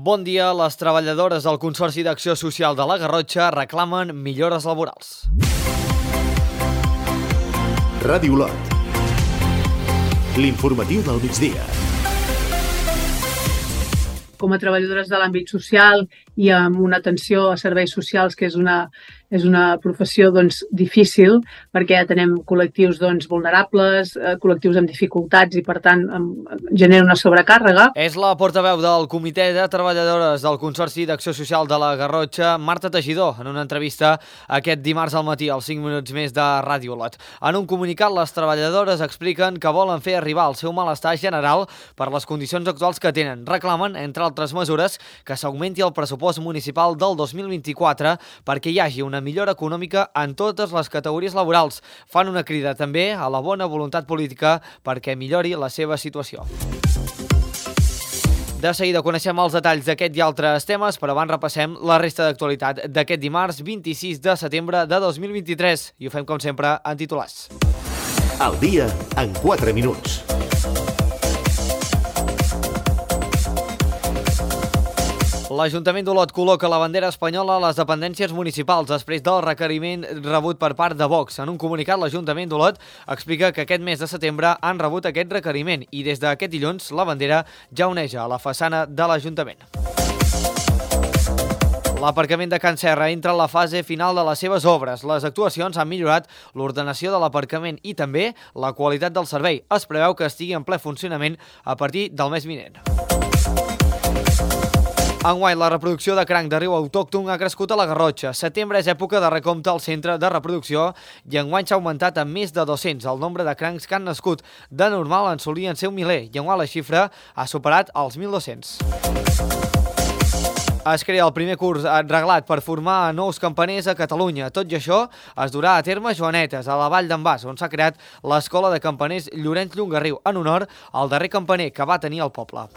Bon dia. Les treballadores del Consorci d'Acció Social de la Garrotxa reclamen millores laborals. Ràdio Olot. L'informatiu del migdia. Com a treballadores de l'àmbit social i amb una atenció a serveis socials, que és una professió difícil, perquè atenem col·lectius vulnerables, col·lectius amb dificultats i, per tant, genera una sobrecàrrega. És la portaveu del Comitè de Treballadores del Consorci d'Acció Social de la Garrotxa, Marta Teixidor, en una entrevista aquest dimarts al matí, als 5 minuts més de Ràdio Olot. En un comunicat, les treballadores expliquen que volen fer arribar el seu malestar general per les condicions actuals que tenen. Reclamen, entre altres mesures, que s'augmenti el pressupost municipal del 2024 perquè hi hagi una millora econòmica en totes les categories laborals. Fan una crida també a la bona voluntat política perquè millori la seva situació. De seguida coneixem els detalls d'aquest i altres temes, però abans repassem la resta d'actualitat d'aquest dimarts 26 de setembre de 2023 i ho fem com sempre en titulars. Al dia en 4 minuts. L'Ajuntament d'Olot col·loca la bandera espanyola a les dependències municipals després del requeriment rebut per part de Vox. En un comunicat, l'Ajuntament d'Olot explica que aquest mes de setembre han rebut aquest requeriment i des d'aquest dilluns la bandera ja oneja a la façana de l'Ajuntament. L'aparcament de Can Serra entra en la fase final de les seves obres. Les actuacions han millorat l'ordenació de l'aparcament i també la qualitat del servei. Es preveu que estigui en ple funcionament a partir del mes vinent. Enguany, la reproducció de cranc de riu autòcton ha crescut a la Garrotxa. Setembre és època de recompte al centre de reproducció i enguany s'ha augmentat a més de 200 el nombre de crancs que han nascut. De normal en solien ser un miler i enguany la xifra ha superat els 1.200. Es crea el primer curs reglat per formar nous campaners a Catalunya. Tot i això, es durà a terme Joanetes, a la Vall d'en Bas, on s'ha creat l'Escola de Campaners Llorenç Llongarriu, en honor al darrer campaner que va tenir el poble.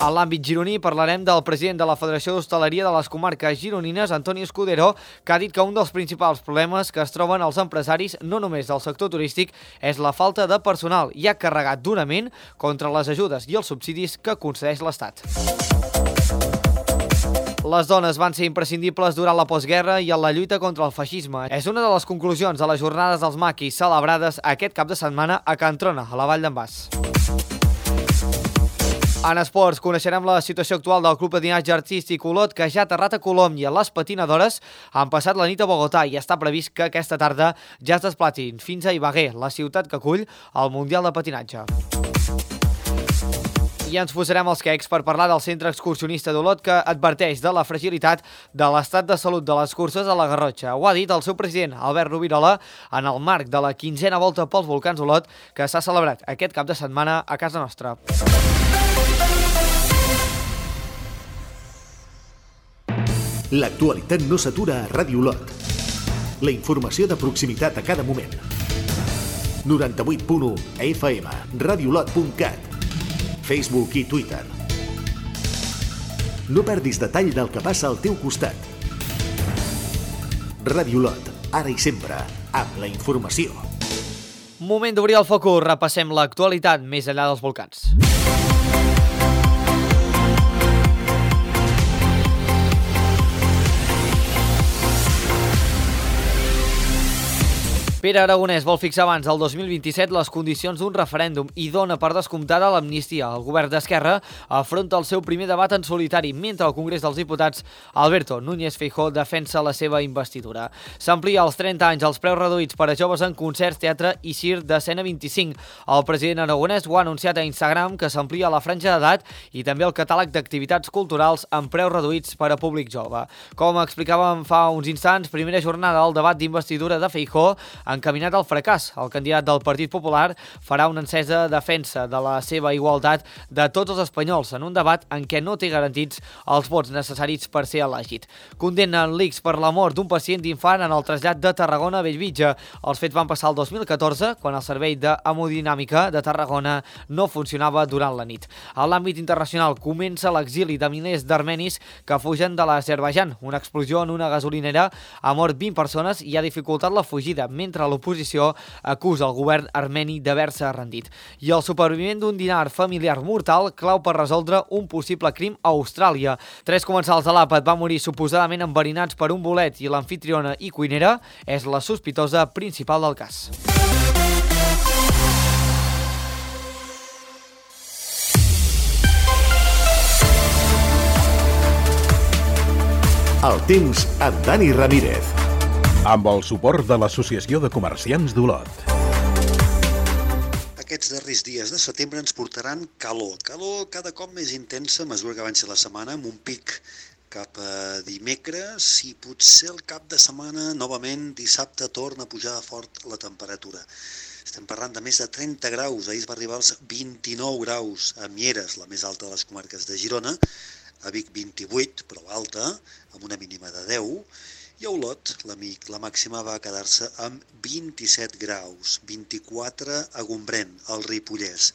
A l'àmbit gironí parlarem del president de la Federació d'Hostaleria de les Comarques Gironines, Antoni Escudero, que ha dit que un dels principals problemes que es troben els empresaris, no només del sector turístic, és la falta de personal i ha carregat durament contra les ajudes i els subsidis que concedeix l'Estat. Les dones van ser imprescindibles durant la postguerra i en la lluita contra el feixisme. És una de les conclusions de les jornades dels maquis celebrades aquest cap de setmana a Can Trona, a la Vall d'en Bas. En esports, coneixerem la situació actual del Club Patinatge Artístic Olot, que ja ha aterrat a Colòmbia. Les patinadores han passat la nit a Bogotà i està previst que aquesta tarda ja es desplacin fins a Ibagué, la ciutat que acull el Mundial de Patinatge. I ens posarem els quecs per parlar del centre excursionista d'Olot, que adverteix de la fragilitat de l'estat de salut de les curses a la Garrotxa. Ho ha dit el seu president, Albert Rovirola, en el marc de la 15a volta pels volcans Olot, que s'ha celebrat aquest cap de setmana a casa nostra. L'actualitat no s'atura a Ràdio Olot. La informació de proximitat a cada moment. 98.1 FM, radioolot.cat, Facebook i Twitter. No perdis detall del que passa al teu costat. Ràdio Olot, ara i sempre, amb la informació. Moment d'obrir el focus, repassem l'actualitat més enllà dels volcans. Pere Aragonès vol fixar abans del 2027 les condicions d'un referèndum i dona per descomptada l'amnistia. El govern d'Esquerra afronta el seu primer debat en solitari, mentre al Congrés dels Diputats Alberto Núñez Feijóo defensa la seva investidura. S'amplia als 30 anys els preus reduïts per a joves en concerts, teatre i circ d'escena 25. El president Aragonès ho ha anunciat a Instagram, que s'amplia la franja d'edat i també el catàleg d'activitats culturals amb preus reduïts per a públic jove. Com explicàvem fa uns instants, primera jornada del debat d'investidura de Feijóo encaminat al fracàs. El candidat del Partit Popular farà una encesa defensa de la seva igualtat de tots els espanyols en un debat en què no té garantits els vots necessaris per ser elegit. Condemnen l'ICS per la mort d'un pacient d'infant en el trasllat de Tarragona a Bellvitge. Els fets van passar el 2014, quan el servei d'hemodinàmica de Tarragona no funcionava durant la nit. A l'àmbit internacional comença l'exili de milers d'armenis que fugen de l'Azerbaidjan. Una explosió en una gasolinera ha mort 20 persones i ha dificultat la fugida, mentre encara l'oposició acusa el govern armeni d'haver-se rendit. I el supervivent d'un dinar familiar mortal clau per resoldre un possible crim a Austràlia. 3 comensals de l'àpat van morir suposadament enverinats per un bolet i l'amfitriona i cuinera és la sospitosa principal del cas. El temps amb Dani Ramírez. Amb el suport de l'Associació de Comerciants d'Olot. Aquests darrers dies de setembre ens portaran calor cada cop més intensa a mesura que avanci la setmana, amb un pic cap a dimecres i potser el cap de setmana, novament, dissabte, torna a pujar fort la temperatura. Estem parlant de més de 30 graus, ahir es va arribar als 29 graus a Mieres, la més alta de les comarques de Girona, a Vic 28, però alta, amb una mínima de 10, i a Olot la màxima va quedar-se amb 27 graus, 24 a Gombrèn, al Ripollès.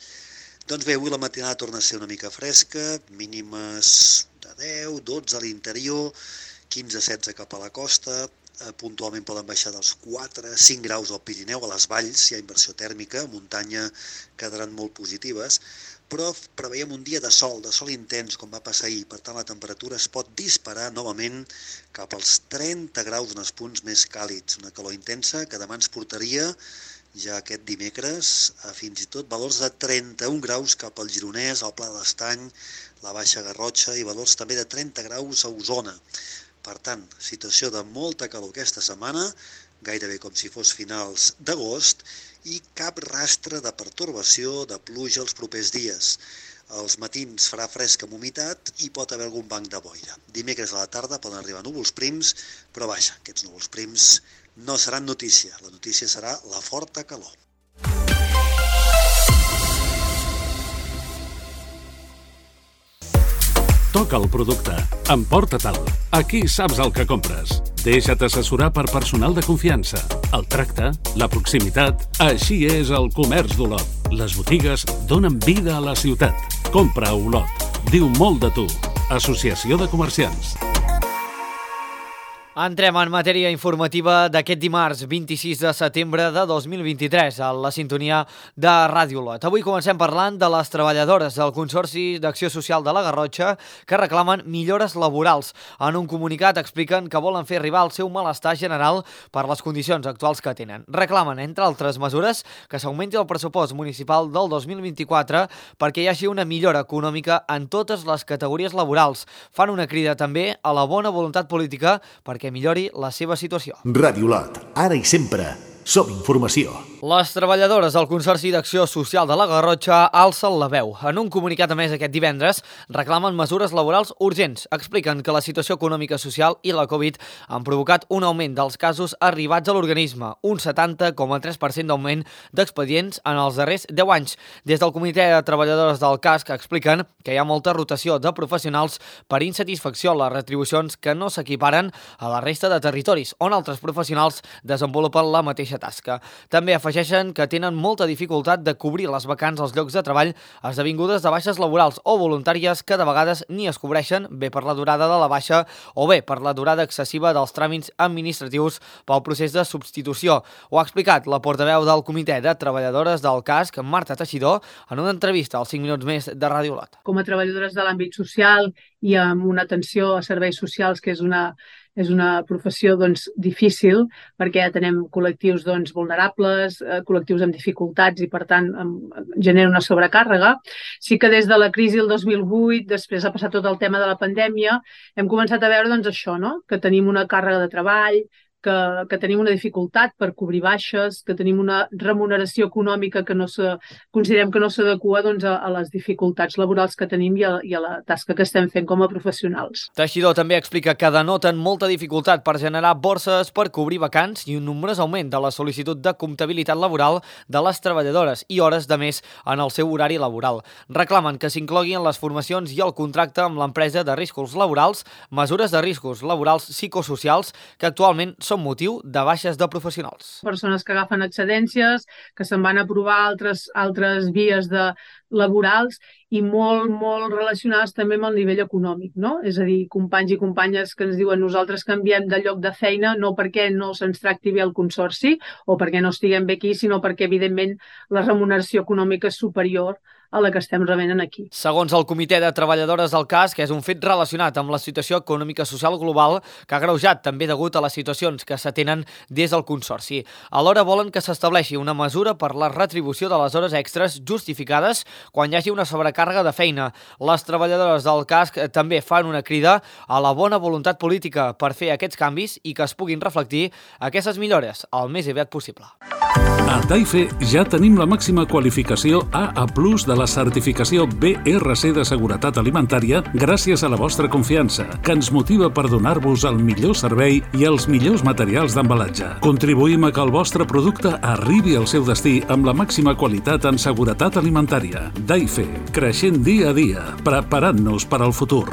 Doncs bé, avui la matinada torna a ser una mica fresca, mínimes de 10, 12 a l'interior, 15-16 cap a la costa, puntualment poden baixar dels 4-5 graus al Pirineu, a les valls hi ha inversió tèrmica, a muntanya quedaran molt positives, però preveiem un dia de sol intens, com va passar ahir. Per tant, la temperatura es pot disparar novament cap als 30 graus en els punts més càlids. Una calor intensa que demà ens portaria ja aquest dimecres a fins i tot valors de 31 graus cap al Gironès, al Pla de l'Estany, la Baixa Garrotxa i valors també de 30 graus a Osona. Per tant, situació de molta calor aquesta setmana, gairebé com si fos finals d'agost, i cap rastre de pertorbació de pluja els propers dies. Els matins farà fresca amb humitat i pot haver algun banc de boira. Dimecres a la tarda poden arribar núvols prims, però vaja, aquests núvols prims no seran notícia. La notícia serà la forta calor. Toca el producte. Emporta-te'l. Aquí saps el que compres. Deixa't assessorar per personal de confiança. El tracte, la proximitat... Així és el comerç d'Olot. Les botigues donen vida a la ciutat. Compra a Olot. Diu molt de tu. Associació de Comerciants. Entrem en matèria informativa d'aquest dimarts 26 de setembre de 2023 a la sintonia de Ràdio Olot. Avui comencem parlant de les treballadores del Consorci d'Acció Social de la Garrotxa que reclamen millores laborals. En un comunicat expliquen que volen fer arribar el seu malestar general per les condicions actuals que tenen. Reclamen, entre altres mesures, que s'augmenti el pressupost municipal del 2024 perquè hi hagi una millora econòmica en totes les categories laborals. Fan una crida també a la bona voluntat política perquè millori la seva situació. Ràdio Olot, ara i sempre, som informació. Les treballadores del Consorci d'Acció Social de la Garrotxa alcen la veu. En un comunicat emès aquest divendres, reclamen mesures laborals urgents. Expliquen que la situació econòmica social i la Covid han provocat un augment dels casos arribats a l'organisme, un 70,3% d'augment d'expedients en els darrers 10 anys. Des del Comitè de Treballadores del CASC expliquen que hi ha molta rotació de professionals per insatisfacció a les retribucions que no s'equiparen a la resta de territoris, on altres professionals desenvolupen la mateixa tasca. També afegeixen que tenen molta dificultat de cobrir les vacants als llocs de treball esdevingudes de baixes laborals o voluntàries que de vegades ni es cobreixen, bé per la durada de la baixa o bé per la durada excessiva dels tràmits administratius pel procés de substitució. Ho ha explicat la portaveu del Comitè de Treballadores del CASC, Marta Teixidor, en una entrevista als 5 minuts més de Ràdio Olot. Com a treballadores de l'àmbit social i amb una atenció a serveis socials, que és una professió difícil perquè atenem col·lectius vulnerables, col·lectius amb dificultats i per tant genera una sobrecàrrega. Sí que des de la crisi del 2008, després ha passat tot el tema de la pandèmia, hem començat a veure això, no? Que tenim una càrrega de treball, que tenim una dificultat per cobrir baixes, que tenim una remuneració econòmica que considerem que no s'adequa a les dificultats laborals que tenim i a la tasca que estem fent com a professionals. Teixidor també explica que denoten molta dificultat per generar borses per cobrir vacants i un nombrós augment de la sol·licitud de comptabilitat laboral de les treballadores i hores de més en el seu horari laboral. Reclamen que s'incloguin les formacions i el contracte amb l'empresa de riscos laborals, mesures de riscos laborals psicosocials que actualment són motiu de baixes de professionals. Persones que agafen excedències, que se'n van a provar altres vies laborals i molt relacionades també amb el nivell econòmic, no? És a dir, companys i companyes que ens diuen nosaltres canviem de lloc de feina no perquè no se'ns tracti bé el consorci o perquè no estiguem bé aquí, sinó perquè, evidentment, la remuneració econòmica és superior a la que estem rebent aquí. Segons el Comitè de Treballadores del CAS, que és un fet relacionat amb la situació econòmica social global que ha agreujat també degut a les situacions que s'atenen des del Consorci. Alhora volen que s'estableixi una mesura per la retribució de les hores extres justificades quan hi hagi una sobrecàrrega de feina. Les treballadores del CAS també fan una crida a la bona voluntat política per fer aquests canvis i que es puguin reflectir aquestes millores el més aviat possible. A Taife ja tenim la màxima qualificació AA+ de la certificació BRC de Seguretat Alimentària gràcies a la vostra confiança, que ens motiva per donar-vos el millor servei i els millors materials d'embalatge. Contribuïm a que el vostre producte arribi al seu destí amb la màxima qualitat en seguretat alimentària. Taife, creixent dia a dia, preparant-nos per al futur.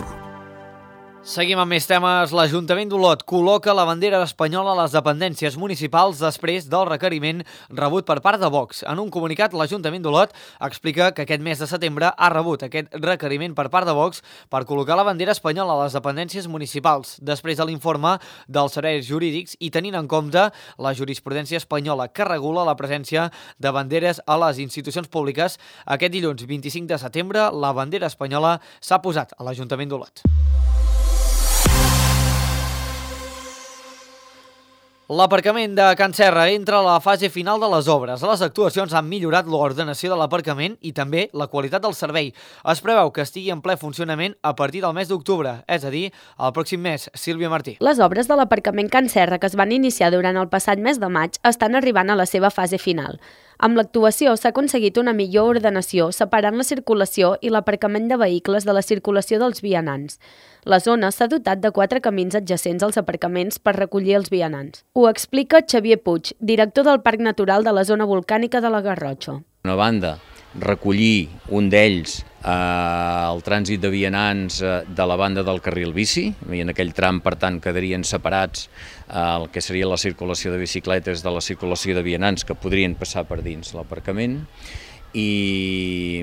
Seguim amb més temes. L'Ajuntament d'Olot col·loca la bandera espanyola a les dependències municipals després del requeriment rebut per part de Vox. En un comunicat, l'Ajuntament d'Olot explica que aquest mes de setembre ha rebut aquest requeriment per part de Vox per col·locar la bandera espanyola a les dependències municipals, després de l'informe dels serveis jurídics i tenint en compte la jurisprudència espanyola que regula la presència de banderes a les institucions públiques. Aquest dilluns 25 de setembre, la bandera espanyola s'ha posat a l'Ajuntament d'Olot. L'aparcament de Can Serra entra a la fase final de les obres. Les actuacions han millorat l'ordenació de l'aparcament i també la qualitat del servei. Es preveu que estigui en ple funcionament a partir del mes d'octubre, és a dir, el pròxim mes. Sílvia Martí. Les obres de l'aparcament Can Serra, que es van iniciar durant el passat mes de maig, estan arribant a la seva fase final. Amb l'actuació s'ha aconseguit una millor ordenació, separant la circulació i l'aparcament de vehicles de la circulació dels vianants. La zona s'ha dotat de 4 camins adjacents als aparcaments per recollir els vianants. Ho explica Xavier Puig, director del Parc Natural de la zona volcànica de la Garrotxa. Una banda, recollir un d'ells el trànsit de vianants de la banda del carril bici, i en aquell tram, per tant, quedarien separats el que seria la circulació de bicicletes de la circulació de vianants que podrien passar per dins l'aparcament, i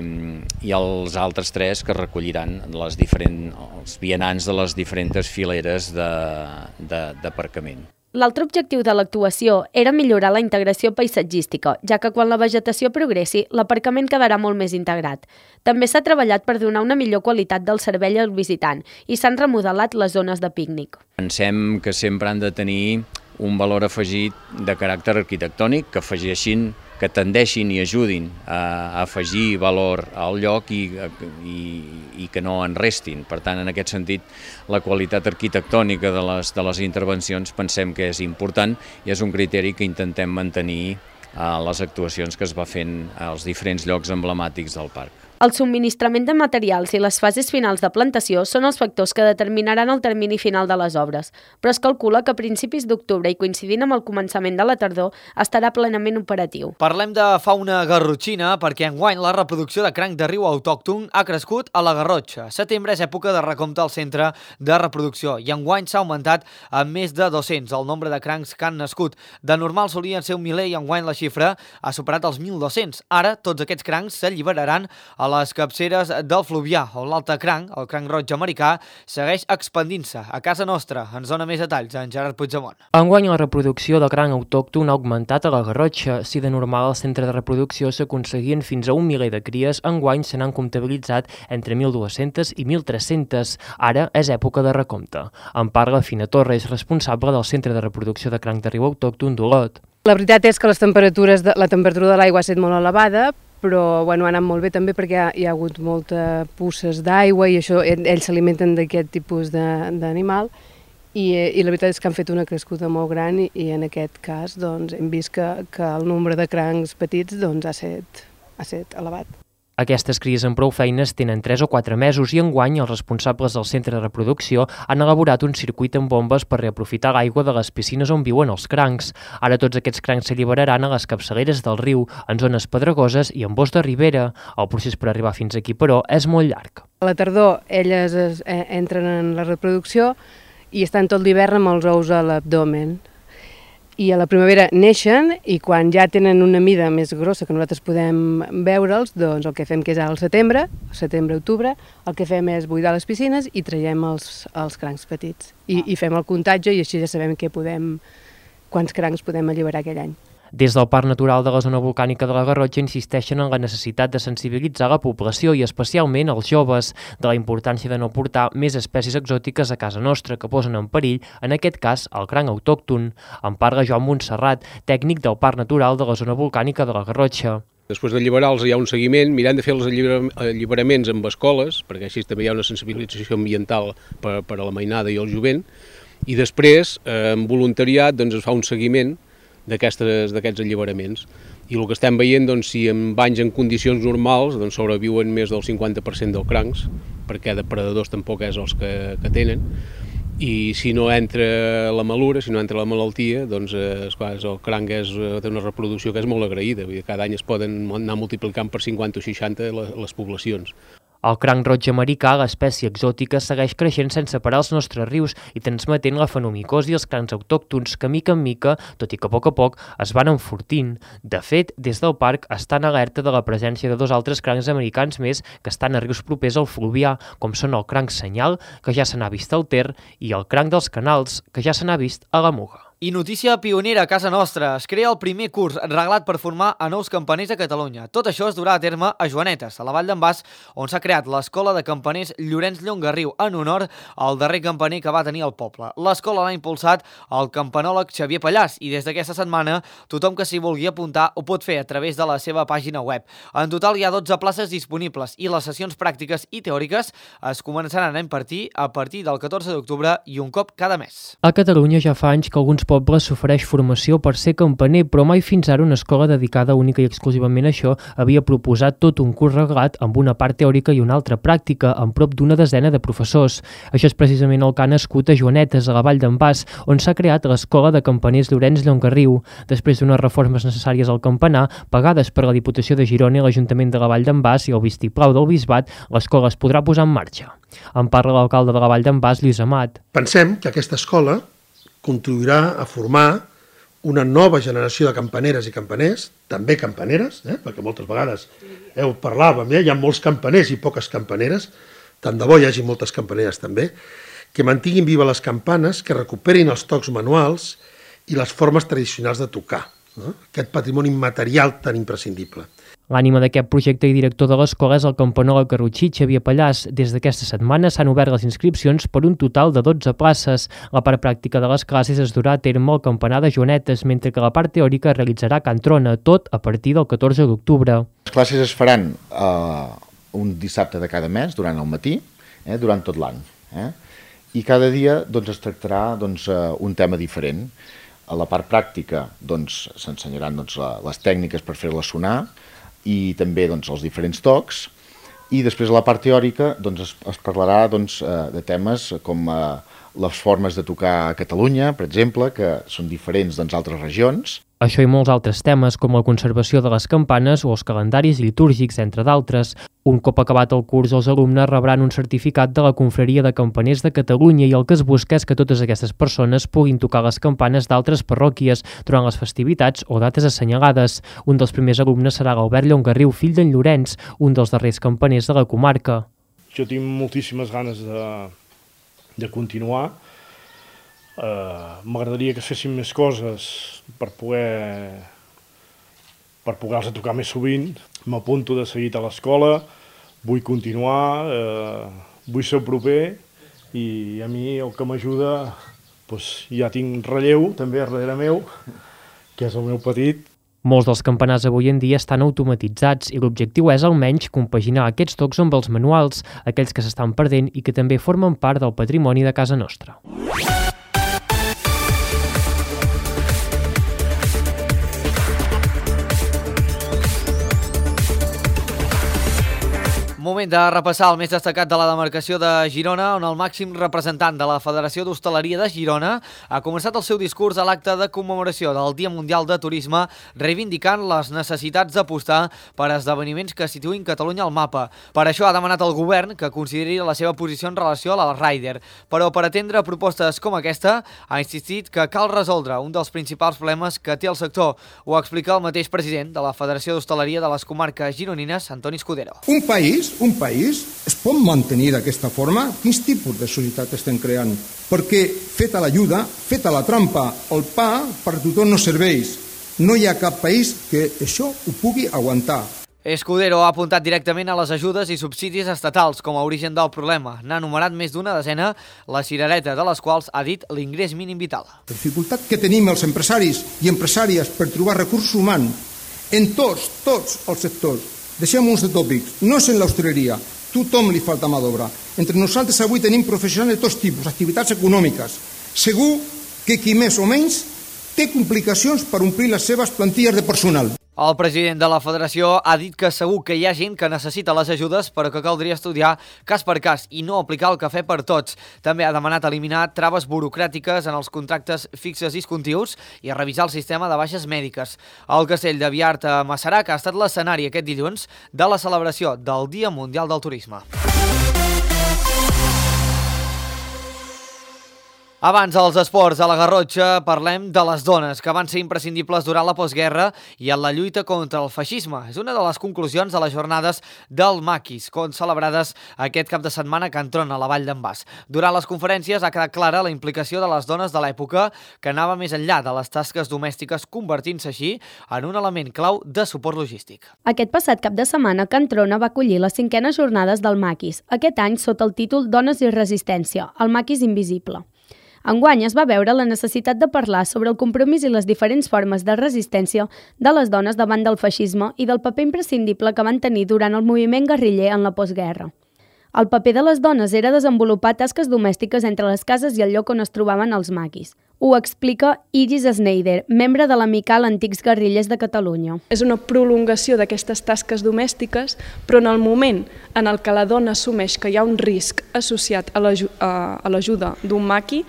els altres 3 que recolliran els vianants de les diferents fileres d'aparcament. L'altre objectiu de l'actuació era millorar la integració paisatgística, ja que quan la vegetació progressi, l'aparcament quedarà molt més integrat. També s'ha treballat per donar una millor qualitat del servei al visitant i s'han remodelat les zones de pícnic. Pensem que sempre han de tenir un valor afegit de caràcter arquitectònic, que tendeixin i ajudin a afegir valor al lloc i que no en restin. Per tant, en aquest sentit, la qualitat arquitectònica de les intervencions pensem que és important i és un criteri que intentem mantenir a les actuacions que es va fent als diferents llocs emblemàtics del parc. El subministrament de materials i les fases finals de plantació són els factors que determinaran el termini final de les obres, però es calcula que a principis d'octubre i coincidint amb el començament de la tardor estarà plenament operatiu. Parlem de fauna garrotxina perquè enguany la reproducció de cranc de riu autòcton ha crescut a la Garrotxa. Setembre és època de recompte al centre de reproducció i enguany s'ha augmentat a més de 200 el nombre de crancs que han nascut. De normal solien ser 1.000 i enguany la xifra ha superat els 1.200. Ara tots aquests crancs s'alliberaran a les capceres del Fluvià, on l'altre cranc, el cranc roig americà, segueix expandint-se. A casa nostra ens dona més detalls en Gerard Puigdemont. Enguany la reproducció de cranc autòcton ha augmentat a la Garrotxa. Si de normal al centre de reproducció s'aconseguien fins a 1 miler de cries, enguany se n'han comptabilitzat entre 1.200 i 1.300. Ara és època de recompte. En parla Fina Torres, responsable del centre de reproducció de cranc de riu autòcton d'Olot. La veritat és que la temperatura de l'aigua ha estat molt elevada, però ha anat molt bé també perquè hi ha hagut moltes puces d'aigua i això, ells s'alimenten d'aquest tipus d'animal i la veritat és que han fet una crescuda molt gran i en aquest cas hem vist que el nombre de crancs petits ha estat elevat. Aquestes cries amb prou feines tenen 3 o 4 mesos i enguany els responsables del centre de reproducció han elaborat un circuit amb bombes per reaprofitar l'aigua de les piscines on viuen els crancs. Ara tots aquests crancs s'alliberaran a les capçaleres del riu, en zones pedregoses i en bosc de ribera. El procés per arribar fins aquí, però, és molt llarg. A la tardor elles entren en la reproducció i estan tot l'hivern amb els ous a l'abdomen. i a la primavera neixen i quan ja tenen una mida més grossa que nosaltres podem veure'ls, doncs el que fem que és al setembre, octubre, el que fem és buidar les piscines i traiem els crancs petits. I fem el comptatge i així ja sabem quants crancs podem alliberar aquell any. Des del Parc Natural de la Zona Volcànica de la Garrotxa insisteixen en la necessitat de sensibilitzar la població i especialment els joves de la importància de no portar més espècies exòtiques a casa nostra que posen en perill, en aquest cas, el cranc autòcton. En parla Joan Montserrat, tècnic del Parc Natural de la Zona Volcànica de la Garrotxa. Després d'alliberar-los hi ha un seguiment, mirant de fer els alliberaments amb escoles, perquè així també hi ha una sensibilització ambiental per a la mainada i el jovent, i després, en voluntariat, doncs, es fa un seguiment d'aquests alliberaments. I el que estem veient, doncs, si en banys en condicions normals doncs, sobreviuen més del 50% dels crancs, perquè depredadors tampoc és els que tenen, i si no entra la malura, si no entra la malaltia, doncs esclar, el cranc té una reproducció que és molt agraïda, vull dir, cada any es poden anar multiplicant per 50 o 60 les poblacions. El cranc roig americà, l'espècie exòtica, segueix creixent sense parar als nostres rius i transmetent la fenomicosi i els crancs autòctons que, mica en mica, tot i que a poc, es van enfortint. De fet, des del parc estan alerta de la presència de 2 altres crancs americans més que estan a rius propers al Fluvià, com són el cranc senyal, que ja se n'ha vist al Ter, i el cranc dels canals, que ja se n'ha vist a la Muga. I notícia pionera a casa nostra. Es crea el primer curs reglat per formar a nous campaners a Catalunya. Tot això es durà a terme a Joanetes, a la Vall d'en Bas, on s'ha creat l'Escola de Campaners Llorenç Llongarriu, en honor al darrer campaner que va tenir el poble. L'escola l'ha impulsat el campanòleg Xavier Pallàs i des d'aquesta setmana tothom que s'hi vulgui apuntar ho pot fer a través de la seva pàgina web. En total hi ha 12 places disponibles i les sessions pràctiques i teòriques es començaran a impartir a partir del 14 d'octubre i un cop cada mes. A Catalunya ja fa anys que alguns pobles s'ofereix formació per ser campaner, però mai fins ara una escola dedicada única i exclusivament a això havia proposat tot un curs reglat amb una part teòrica i una altra pràctica, amb prop d'una desena de professors. Això és precisament el que ha nascut a Joanetes, a la Vall d'en Bas, on s'ha creat l'Escola de Campaners Llorenç Llongarriu. Després d'unes reformes necessàries al campanar, pagades per la Diputació de Girona i l'Ajuntament de la Vall d'en Bas i el vistiplau del Bisbat, l'escola es podrà posar en marxa. En parla l'alcalde de la Vall d'en Bas, Lluís Amat. Pensem que aquesta escola contribuirà a formar una nova generació de campaneres i campaners, també campaneres, perquè moltes vegades parlàvem, hi ha molts campaners i poques campaneres, tant de bo hi hagi moltes campaneres també, que mantinguin viva les campanes, que recuperin els tocs manuals i les formes tradicionals de tocar, aquest patrimoni immaterial tan imprescindible. L'ànima d'aquest projecte i director de l'escola és el campanòleg garrotxí Xavier Pallàs. Des d'aquesta setmana s'han obert les inscripcions per un total de 12 places. La part pràctica de les classes es durà a terme al campanar de Joanetes, mentre que la part teòrica es realitzarà a Can Trona, tot a partir del 14 d'octubre. Les classes es faran un dissabte de cada mes, durant el matí, durant tot l'any. I cada dia es tractarà un tema diferent. A la part pràctica s'ensenyaran les tècniques per fer-la sonar, i també els diferents tocs, i després a la part teòrica es parlarà de temes com les formes de tocar a Catalunya, per exemple, que són diferents d'altres regions. Això i molts altres temes, com la conservació de les campanes o els calendaris litúrgics, entre d'altres. Un cop acabat el curs, els alumnes rebran un certificat de la Confraria de Campaners de Catalunya i el que es busca és que totes aquestes persones puguin tocar les campanes d'altres parròquies durant les festivitats o dates assenyalades. Un dels primers alumnes serà l'Albert Llongarriu, fill d'en Llorenç, un dels darrers campaners de la comarca. Jo tinc moltíssimes ganes de continuar. M'agradaria que es fessin més coses per poder-los tocar més sovint. M'apunto de seguit a l'escola, vull continuar, vull ser el proper i a mi el que m'ajuda, ja tinc relleu també darrere meu, que és el meu petit. Molts dels campanars avui en dia estan automatitzats i l'objectiu és almenys compaginar aquests tocs amb els manuals, aquells que s'estan perdent i que també formen part del patrimoni de casa nostra. Moment de repassar el més destacat de la demarcació de Girona, on el màxim representant de la Federació d'Hostaleria de Girona ha començat el seu discurs a l'acte de commemoració del Dia Mundial de Turisme, reivindicant les necessitats d'apostar per esdeveniments que situïn Catalunya al mapa. Per això ha demanat al govern que consideri la seva posició en relació a la Ryder, però per atendre propostes com aquesta ha insistit que cal resoldre un dels principals problemes que té el sector. Ho explica el mateix president de la Federació d'Hostaleria de les Comarques Gironines, Antoni Escudero. Un país es pot mantenir d'aquesta forma? Quins tipus de societat estem creant? Perquè feta l'ajuda, feta la trampa, el pa per tothom no serveix. No hi ha cap país que això ho pugui aguantar. Escudero ha apuntat directament a les ajudes i subsidis estatals com a origen del problema. N'ha enumerat més d'una desena, la cirereta de les quals ha dit l'ingrés mínim vital. La dificultat que tenim els empresaris i empresàries per trobar recursos humans en tots els sectors. Deixem-nos de tòpics, no és en l'hostaleria, tothom li falta mà d'obra. Entre nosaltres avui tenim professionals de tots tipus, activitats econòmiques. Segur que qui més o menys té complicacions per omplir les seves plantilles de personal. El president de la federació ha dit que segur que hi ha gent que necessita les ajudes, però que caldria estudiar cas per cas i no aplicar el cafè per tots. També ha demanat eliminar traves burocràtiques en els contractes fixes discontinuos i a revisar el sistema de baixes mèdiques. El castell de Viart a Masarac ha estat l'escenari aquest dilluns de la celebració del Dia Mundial del Turisme. Abans dels esports a la Garrotxa parlem de les dones, que van ser imprescindibles durant la postguerra i en la lluita contra el feixisme. És una de les conclusions de les jornades del Maquis, celebrades aquest cap de setmana a Can Trona, a la Vall d'en Bas. Durant les conferències ha quedat clara la implicació de les dones de l'època, que anava més enllà de les tasques domèstiques, convertint-se així en un element clau de suport logístic. Aquest passat cap de setmana, Can Trona va acollir les 5enes jornades del Maquis, aquest any sota el títol Dones i Resistència, el Maquis Invisible. Enguany es va veure la necessitat de parlar sobre el compromís i les diferents formes de resistència de les dones davant del feixisme i del paper imprescindible que van tenir durant el moviment guerriller en la postguerra. El paper de les dones era desenvolupar tasques domèstiques entre les cases i el lloc on es trobaven els maquis. Ho explica Iris Schneider, membre de l'Amical Antics Guerrillers de Catalunya. És una prolongació d'aquestes tasques domèstiques, però en el moment en el que la dona assumeix que hi ha un risc associat a l'ajuda d'un maqui,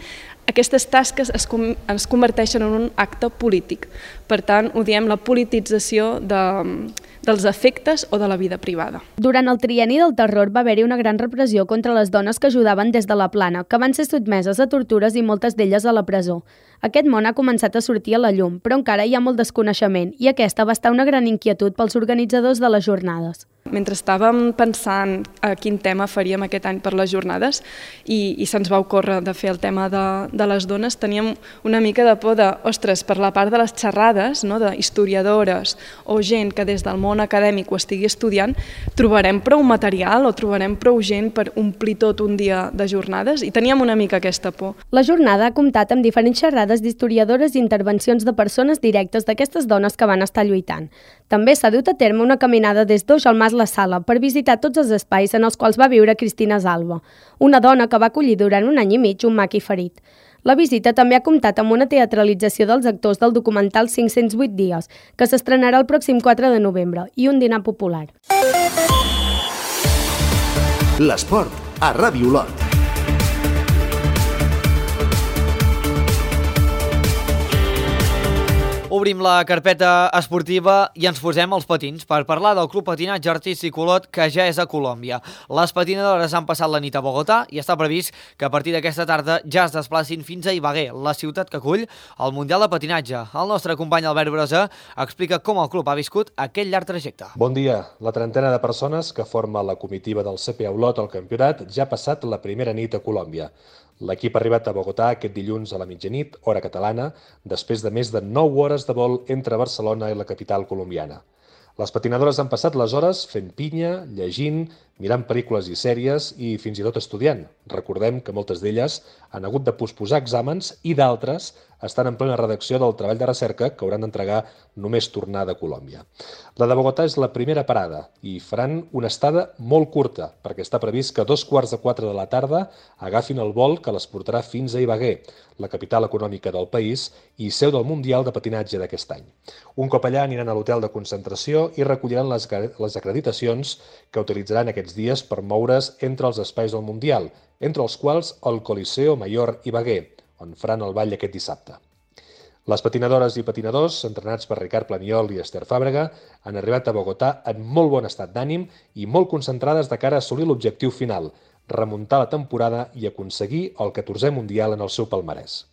aquestes tasques es converteixen en un acte polític. Per tant, ho diem la politització dels efectes o de la vida privada. Durant el trienni del terror va haver-hi una gran repressió contra les dones que ajudaven des de la Plana, que van ser sotmeses a tortures i moltes d'elles a la presó. Aquest món ha començat a sortir a la llum, però encara hi ha molt desconeixement i aquesta va estar una gran inquietud pels organitzadors de les jornades. Mentre estàvem pensant a quin tema faríem aquest any per les jornades i se'ns va ocórrer de fer el tema de les dones, teníem una mica de por de, ostres, per la part de les xerrades, d'historiadores o gent que des del món acadèmic ho estigui estudiant, trobarem prou material o trobarem prou gent per omplir tot un dia de jornades i teníem una mica aquesta por. La jornada ha comptat amb diferents xerrades d'historiadores i intervencions de persones directes d'aquestes dones que van estar lluitant. També s'ha dut a terme una caminada des d'Oix al Mas La Sala per visitar tots els espais en els quals va viure Cristina Salva, una dona que va acollir durant un any i mig un maqui ferit. La visita també ha comptat amb una teatralització dels actors del documental 508 dies, que s'estrenarà el pròxim 4 de novembre, i un dinar popular. L'esport a Ràdio Olot. Obrim la carpeta esportiva i ens posem als patins per parlar del Club Patinatge Artístic Olot, que ja és a Colòmbia. Les patinadores han passat la nit a Bogotà i està previst que a partir d'aquesta tarda ja es desplacin fins a Ibagué, la ciutat que acull el Mundial de Patinatge. El nostre company Albert Brosa explica com el club ha viscut aquell llarg trajecte. Bon dia. La trentena de persones que forma la comitiva del CPA Olot al campionat ja ha passat la primera nit a Colòmbia. L'equip ha arribat a Bogotà aquest dilluns a la mitjanit, hora catalana, després de més de 9 hores de vol entre Barcelona i la capital colombiana. Les patinadores han passat les hores fent pinya, llegint, mirant pel·lícules i sèries i fins i tot estudiant. Recordem que moltes d'elles han hagut de posposar exàmens i d'altres estan en plena redacció del treball de recerca que hauran d'entregar només tornar de Colòmbia. La de Bogotà és la primera parada i faran una estada molt curta, perquè està previst que a 3:45 de la tarda agafin el vol que les portarà fins a Ibagué, la capital econòmica del país i seu del Mundial de Patinatge d'aquest any. Un cop allà aniran a l'hotel de concentració i recolliran les acreditacions que utilitzaran aquests dies per moure's entre els espais del Mundial, entre els quals el Coliseo Mayor Ibagué, on faran el ball aquest dissabte. Les patinadores i patinadors, entrenats per Ricard Planiol i Esther Fàbrega, han arribat a Bogotà en molt bon estat d'ànim i molt concentrades de cara a assolir l'objectiu final, remuntar la temporada i aconseguir el 14è Mundial en el seu palmarès.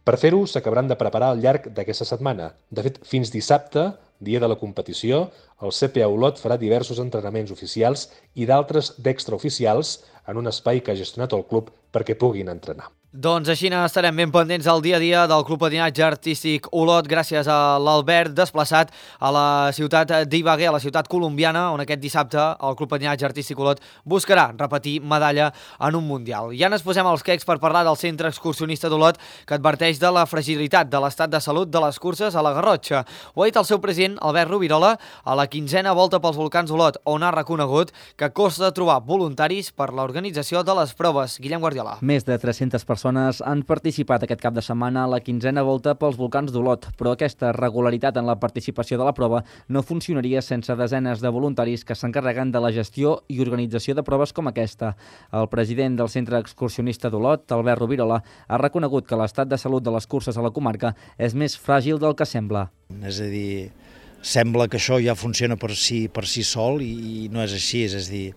Per fer-ho, s'acabaran de preparar al llarg d'aquesta setmana. De fet, fins dissabte, dia de la competició, el CPA Olot farà diversos entrenaments oficials i d'altres d'extraoficials en un espai que ha gestionat el club perquè puguin entrenar. Doncs així estarem ben pendents al dia a dia del Club Patinatge Artístic Olot gràcies a l'Albert desplaçat a la ciutat d'Ibagué, a la ciutat colombiana, on aquest dissabte el Club Patinatge Artístic Olot buscarà repetir medalla en un Mundial. Ja ens posem als quecs per parlar del Centre Excursionista d'Olot, que adverteix de la fragilitat de l'estat de salut de les curses a la Garrotxa. Ho ha dit el seu president, Albert Rovirola, a la 15a volta pels volcans d'Olot, on ha reconegut que costa trobar voluntaris per l'organització de les proves. Guillem Guardiola. Més de 300 persones han participat aquest cap de setmana a la 15a volta pels volcans d'Olot, però aquesta regularitat en la participació de la prova no funcionaria sense desenes de voluntaris que s'encarreguen de la gestió i organització de proves com aquesta. El president del Centre Excursionista d'Olot, Albert Rovirola, ha reconegut que l'estat de salut de les curses a la comarca és més fràgil del que sembla. És a dir, sembla que això ja funciona per si sol i no és així, és a dir,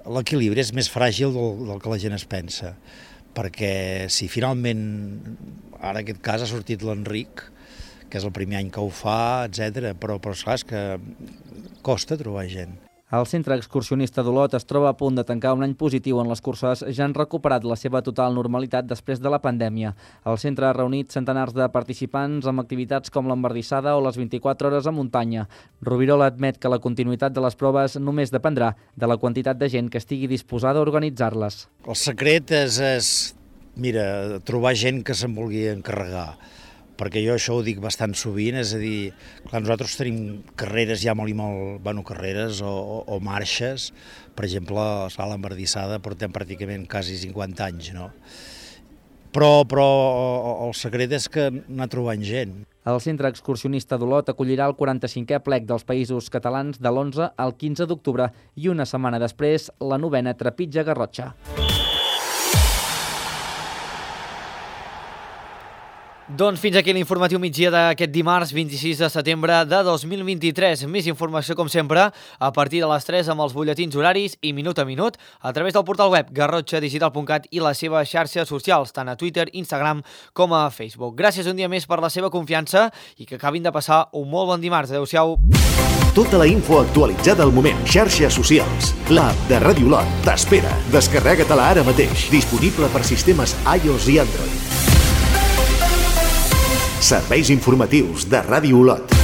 l'equilibri és més fràgil del que la gent es pensa, perquè si finalment, ara en aquest cas ha sortit l'Enric, que és el primer any que ho fa, etc. Però esclar, és que costa trobar gent. El Centre Excursionista d'Olot es troba a punt de tancar un any positiu on les curses ja han recuperat la seva total normalitat després de la pandèmia. El centre ha reunit centenars de participants amb activitats com l'embardissada o les 24 hores a muntanya. Rovirola admet que la continuïtat de les proves només dependrà de la quantitat de gent que estigui disposada a organitzar-les. El secret és trobar gent que se'n vulgui encarregar, perquè jo això ho dic bastant sovint, és a dir, clar, nosaltres tenim carreres ja carreres o marxes, per exemple, a l'embardissada portem pràcticament quasi 50 anys, no? Però el secret és que anar trobant gent. El Centre Excursionista d'Olot acollirà el 45è plec dels Països Catalans de l'11 al 15 d'octubre i una setmana després la 9a Trepitja Garrotxa. Doncs fins aquí l'informatiu migdia d'aquest dimarts 26 de setembre de 2023. Més informació, com sempre, a partir de les 3 amb els butlletins horaris i minut a minut a través del portal web garrotxadigital.cat i les seves xarxes socials, tant a Twitter, Instagram com a Facebook. Gràcies un dia més per la seva confiança i que acabin de passar un molt bon dimarts. Adéu-siau. Tota la info actualitzada al moment. Xarxes socials. L'app de Ràdio Olot t'espera. Descarrega-te-la ara mateix. Disponible per sistemes iOS i Android. Serveis informatius de Ràdio Olot.